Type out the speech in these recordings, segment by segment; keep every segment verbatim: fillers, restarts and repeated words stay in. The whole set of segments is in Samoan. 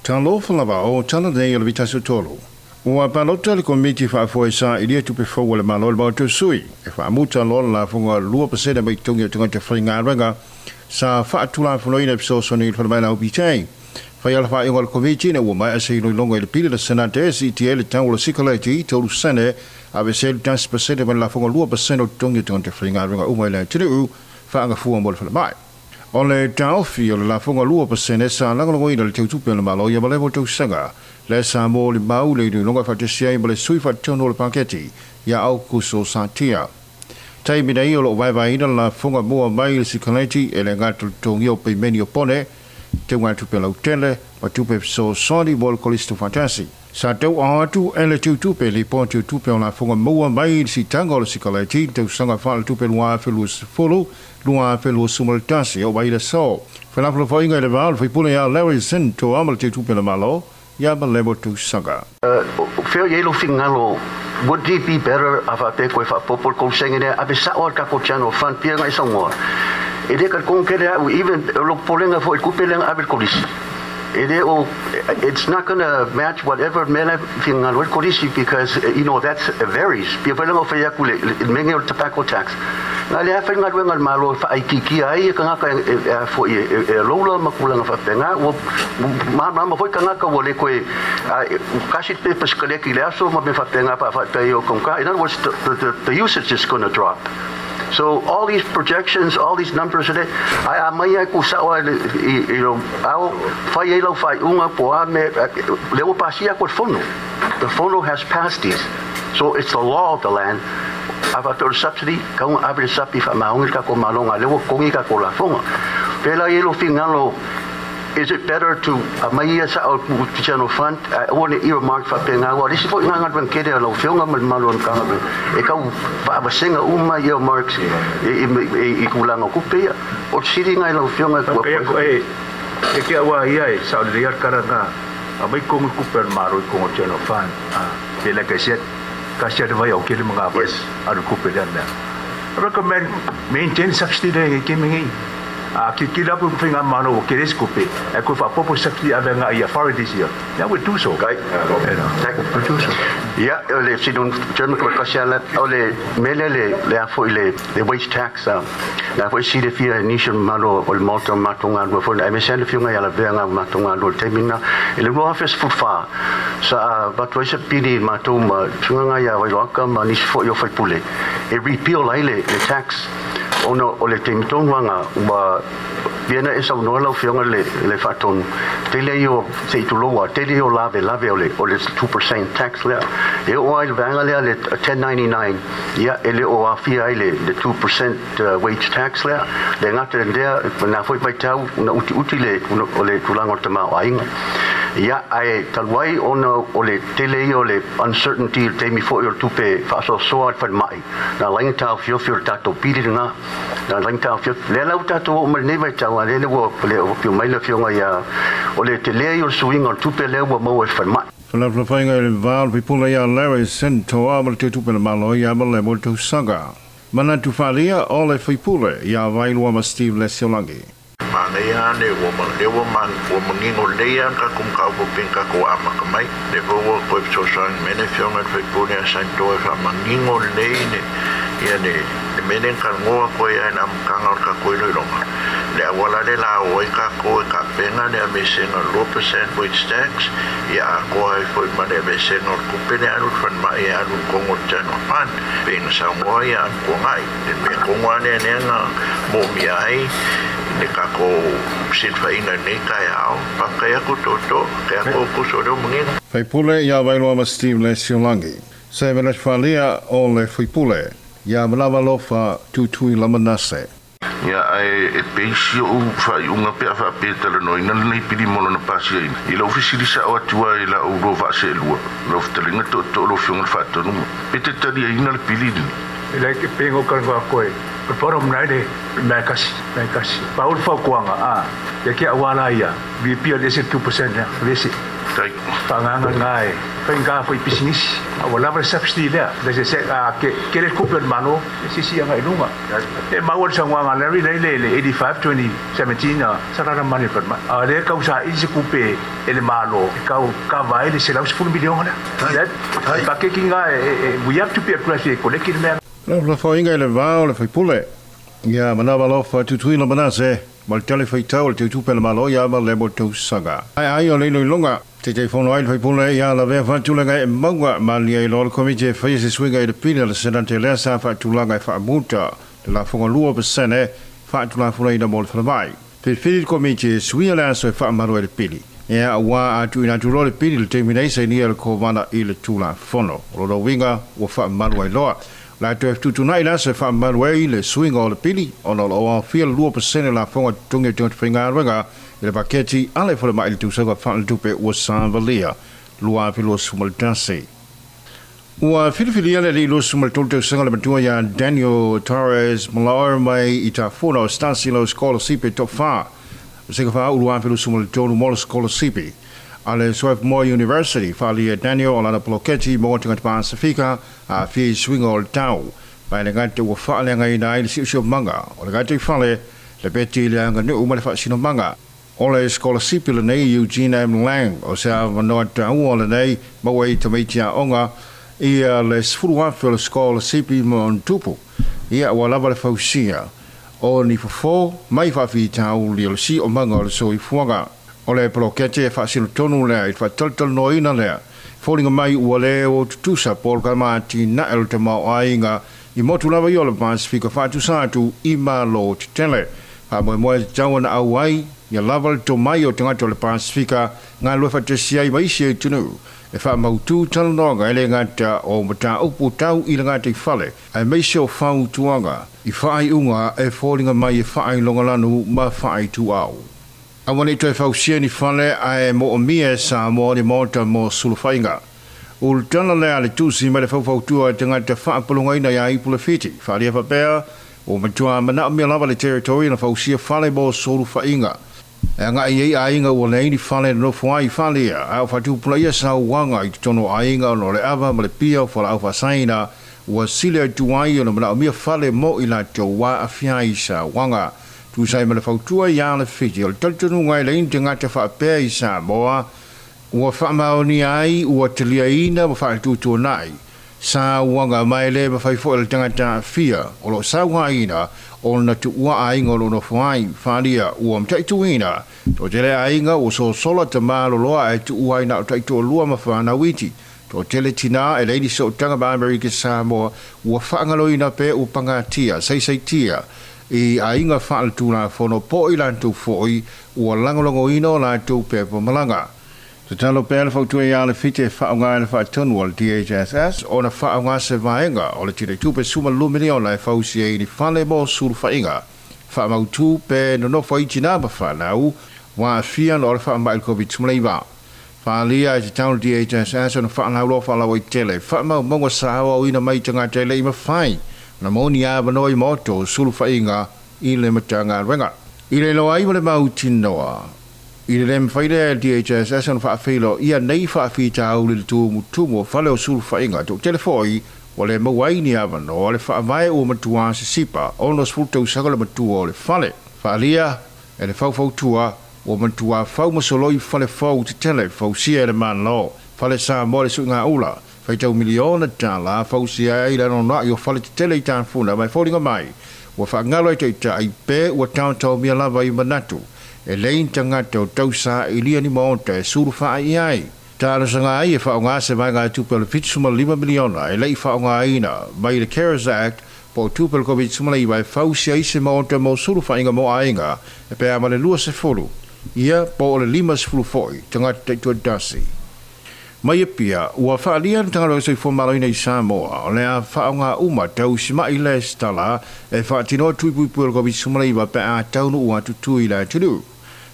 Talofa lava o tala nei o le vitaso tolu. Ua palota le komiti faafoe sailia tupe fou a le Malo i le Maota o Sui e faamuta loa le lafoga lua pasene mai totogi o tagata faigaluega sa faatulafonoina e fesoasoani i le falemai la O B J. Faia le faaiuga a le komiti ina ua maea se iloiloga i le pili a le Senate e siitia ai le tau o le sikaleti tolu sene aveesea le tasi pasene ma le lafoga lua pasene o totogi o tagata faigaluega uma i le atunuu faagafua mo le falemai. O le taofi o le lafoga lua pasene sa lagolagoina le teutupe o le Malo ia malemo tausaga le sa mo le mau le iloiloga faatasi ai ma le sui faatonu o le paketi ia Aukuso Satia. Taimi nei o loo vaevaeina le lafoga mua mai le sikaleti e le gata le totogia o peimeni o pone teugatupe lautele ma tupe fesoasoani mo le kolisi tuufaatasi. Sa tauaaoa atu e le teutupe lipoti o tupe o lafoga maua mai le siitaga o le sikaleti tausaga faaletupe lua afe luasefulu lua afe luasefulu ma le tasi o mai le so. Felafolafoaiga i le va o le faipule ia Larry Sintoa ma le teutupe le Malo ia malemo tausaga. Feo i lo fingalo, would it be better a faapea koe faapopo le kousenge lea ave sao a le tatou general fund pia ngai saunoa e le ka kong kele au even lo polenga fo i kupe lenga ave le kolisi e le o it's not going to match whatever mele fingalo le kolisi because you know that's it varies pia fo lenga fe aku le menge o tobacco tax nga le afa nga luenga malo fa ai kiki ai ka ngaka e fo i e lola makulanga fa penga o ma ma ma foi ka ngaka wo le koe kasi pe paskale ki le aso ma me fa penga pa fa pe yo konka. In other words, the, the, the usage is going to drop. So all these projections, all these numbers, ai a mai ai ku sa o you know au fai ai lau fai unga po a me le o pasia ko fono. The fono has passed these. So it's the law of the land. Ava peo subsidy, ka unga ave le sapi fa maungi ka ko malonga le o kongi ka ko la fonga. Pela i lo fingalo, is it better to mai ia sa o general fund o ne earmark fa penga wa lisi fo nga nga kede lo fionga mal malo ka e ka fa va senga uma earmarks e e kulanga ku pe o siri ngai lo fionga ku e e ke wa ia e sa le kara nga a mai kongu ku per maro ko general fund a ke like I said ka sia de vai o ke le mga Yes. alu ku pe na recommend maintain subsidy le ke mingi a ki ki la ku finga mano o ke les kupe e ko fa popo subsidy ave nga ia authorities here that would do so. Kai. Would do so. Ja, o le si don German ko kasi ala o le mele le le afo le le wage tax a la fo si le fia ni shon malo o le malta matonga lo fo e me sele fionga ya la venga matonga lo temina e le office fu fa sa ba to se pili matuma tunga ya wa ka ma ni fo yo fo pule e repeal ai le le tax ona o le temitonga ua viena e sau noa lau fionga le le faatonu tele io se tuloa tele io lave lave o le o le two percent tax lea e o ai le vaega lea le ten ninety-nine ia e le o afia ai le le two percent uh, wage tax lea le gata lea na foi vaitau na uti uti le o le tulaga o le tamaoaiga ia ae talu ai ona o le tele ia o le uncertainty le taimi foi o le tupe faasoasoa le falemai na laina taofiofi o le tatou pili lena na laina taofiofi lea lau tatou oo mai lenei vaitau a lele ua le pio mai le afioga ia o le tele ia o le suiga o le tupe lea ua maua e le falemai. Felafolafoaiga i le va o le faipule ia Larry Sintoa ma le teutupe le Malo ia malemo tausaga. Manatu faaalia o le faipule ia Vailoa ma Steve Lesiolagi. Manaia ane ua ma le ua man ua mangingo lei an ka kum ka upo pin ka ko ama ka mai le vo ua koe fesoasoani mai le afioga i le faipule a Saintoa e faamanino lelei ne ia le le mea lea na talanoa koe ai le amataga o le tatou iloiloga le auala le la o ai tatou e tapena le aveesega o le two percent wage tax ia atoa ai foi ma le aveesega o le tupe le alu le falemai e alu i totonu o le general fund pe na saunoa ia atuagai le mea tonu a lea lea na moomia ai le tatou silafaiga i lenei taeao. Faafetai atu toto te atu kuso o lea ua manino. Faipule ia Vailoa ma Steve Lesiolagi. Se manatu faaalia o le faipule ia Manavalofa Tutui Lamanase. Ia ae e peisi o faaiuga pe a faapea talanoaina lenei pili mo lona pasiaina. I lau fesilisao atu ai lau lua vaaseelua, lau fetalaiga tootoo lau afioga le faatonuga. Pe te taliaina le pili lenei. E like pengo ka ngā koe. O bottom line e mea kasi, mea kasi. Pa ul fautuaga, a, ia kia awala ia, V P le ese two percent ya, le ese. Tai. Whaanganga ngai, whainga fo i pisinisi. A ua lava le subsidy lea. Le se se a ke ke le kupe o le malo, e sisi anga i lunga. E maua le saunoaga a Larry lea i le le eighty-five twenty seventeen a sa rara mani le falemai. A lea kau sa i se kupe e le malo, e kau kava ai le selau sefulu miliona lea. Tai. Tai. Pakeki ngā e, e, e, we have to be aggressive, e koleki le mea. La la whainga i le vao le whaipule. Ia manawa lofa tutuila manase. Ma le tale whaitau le teutupe le malo ia ma le mo tausaga. Ai ai o leilo i lunga. Te te fono ai le whaipule ia la vea whatulenga e maunga. Ma lia i loa le komiti e whaia se suinga i le pili a le senate lea sa whaatulanga e whaamuta. Le lafonga lua pasene whaatulafuna ina mo le whalamai. Whiwhiri le komiti e suia le aso e whaamaru e le pili. Ia ua atu ina tulo le pili le teimina isa i nia le kovana i le tula fono. O lo winga ua whaamaru ai loa. La toe tutunai la se whaamaru ai le suinga o le pili. Ona o lo awhia le lua pasene la fonga tungi tungi whainga renga i le paketi ale whale mai le tūsanga whaantupe ua sāvalia lua afi lua sumaltasi. Ua whiriwhiria le lua sumaltolu tausaga le matua ia Daniel Torres Malaur mai i tā fona o Stasi lo Scholarship top whā. O seka wha ulu afi lua sumaltolu mo le Scholarship. A le Swarthmore University, whalia Daniel o lana poloketi mo tangata Pasifika a whii swinga o le tau. Mai le ngate ua whaaleanga ina ai le siusio manga. O le ngate i whale, le peti le anga nuu ma le whaasino manga. O le scholarship le nei Eugene M. Lang, o se a wanoa taua le nei, maua i tamaiti a onga, ia le sefulu afe o le scholarship mo ntupu. Ia ua lava le fausia. O ni fofo, mai whawhi tau li o le si o manga o le soifuaga. O le polokete e whaasino tonu lea, i whaatoltol noina lea. Fōlinga mai ua le o tutusa pōl ka māti na el te mao ainga i motu lava i o le Pasifika whaatusa atu i malo te tele. Wha moe moe te tau ana au ai, ia lava le tō mai o te ngato le Pasifika ngā lua whatesia i maisi e tunu. E wha mautu talanoga e le ngata o mata upu tau i le ngata i whale. Ai meise o whautuanga i whaai unga e fōlinga mai e whaai longalanu ma whaai tu au. A wani toe whausia ni whale ae mo o mia sa mo ni mōta mo suluwhainga. Ul tana lea le tūsi mai le whauwhautua e te ngata whaapalunga ina ia ipula whiti. Whalia whapea o matua mana o mea lava le territori na whausia whale mo suluwhainga. E ngā i ei ainga ua leini whale no whai whalia. Au whatupula ia sa wanga i te tono ainga no le ava ma le pia o whala au whasaina ua sile atu ai o na mana o mea whale mo i la te wā awhia i sa wanga. Tūsai ma le whautua i a le whiti. O le talitonu ngai leini te ngata whaapea i Samoa ua whaamaoni ai ua telia ina ma whaatutua nai. Sa wanga mai le ma whaifo le tangata whia. O lo sa ina o na tuua ainga o lo whai whalia ua mtaituina. Tō tele ainga o so sola te māloloa e tuua ina o taitua lua ma whanawiti. Tō tele tina e leini so tanga ma Amerika Samoa ua whaangaloina pe u pangatia, seiseitia. I ainga whaalatuna fono po i lantu foi ua langolongo ino lantu pepa malanga. Te talo pea le whautua i ale white e whaonga e le whaatonu o le D H S S o na whaonga se vaenga o le tire tupe suma luminiona e whausi e ni whale mo suru whainga. Whaamautu pe nonofo i tina ma whanau wā whia no le whaamai le COVID sumleiva. Whaalia e te tau D H S S o na whaanaulo whaalawa i tele. Whaamau monga sahawa o ina mai tanga tele i mawhai. Na moni a wanoi moto sulu whainga i le matanga renga. I le loa i wale mau tinoa. I le lem whaile D H S S na whaafilo ia nei whaafita au le tumu tumu whale o sulu whainga. Tō telefoi wale mawaini a wanoa le whaamae o matua se sipa ono sfuto usaka le matua o le whale. Whaalia e le whauwhautua o matua whaumasoloi whale whau te tele whausia e le manlo. Whale sa mo le suinga ula. Whaitau miliona tāla whausia e ila no i o whale te tele i tānfuna mai fōringa mai. Ua whaangalo e te ita ai pe ua tāntau mia lava i manatu. E lein tangata o tausa i lia ni maonta e suru whaa i ai. Tāna sanga ai e whaonga se mai ngā tupe o le whitsuma lima miliona e lei whaonga aina mai le CARES Act po tupe o le COVID suma leiwa e whausia i se maonta mo suru whainga mo ainga e pēa ma le lua se fulu. Ia po o le lima se fulu foi tangata te tua dasi. Mai e pia, ua whaalia na tangalo e whamalo ina i Samoa, o lea whaonga uma tau sima i le stala e whaatinoa tuipuipu o le COVID suma leiwa pe a taunu ua tutui la tunu.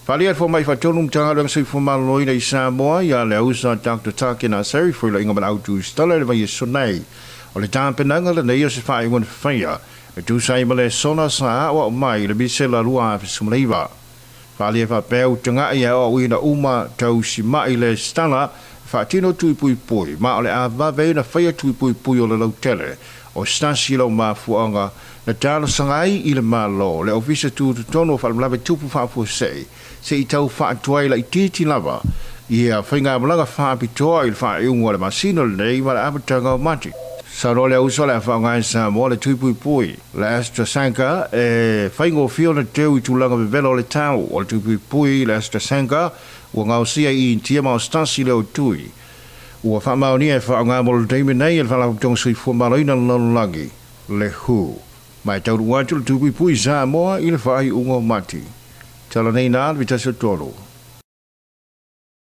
Whaalia e mai whaatonu mtangalo e whamalo ina i Samoa ia le ausa Doctor Takina Seri fuila inga mana autu stala le vai e sonei. O le tāpenanga le nei o se whaingon whaia e tūsai ma le sona sa awa o mai le misela lua awhi suma leiwa. Whaalia whapeu tanga ia o uina uma tau si mai le stala whaatino tui pui pui. Ma o le a vave na whaia tui pui pui o le lautele. O stasi lau mafuanga na talo sangai i le malo le ofisa tu tono whalamlawe tupu whaafuasei se i tau whaatuai la i titi lava ia whainga malaga whaapitoa i le whaaiunga le masino lenei ma le apatanga o Mati. Sa no le uso le whaangai sa mo le tui pui pui. Le AstraZeneca e whaingo fio na teu i tūlanga vevelo le tau o le tui pui pui le AstraZeneca ua ngausia i intia ma o stasi le o tui. Ua whaamaonia e whaangai mo le teime nei e le whalaputong soifua maloina lalolagi le hu. Mai tauru atu le tui pui pui Samoa i le whaaiunga o Mati. Tala nei nā le vitasi o tolu.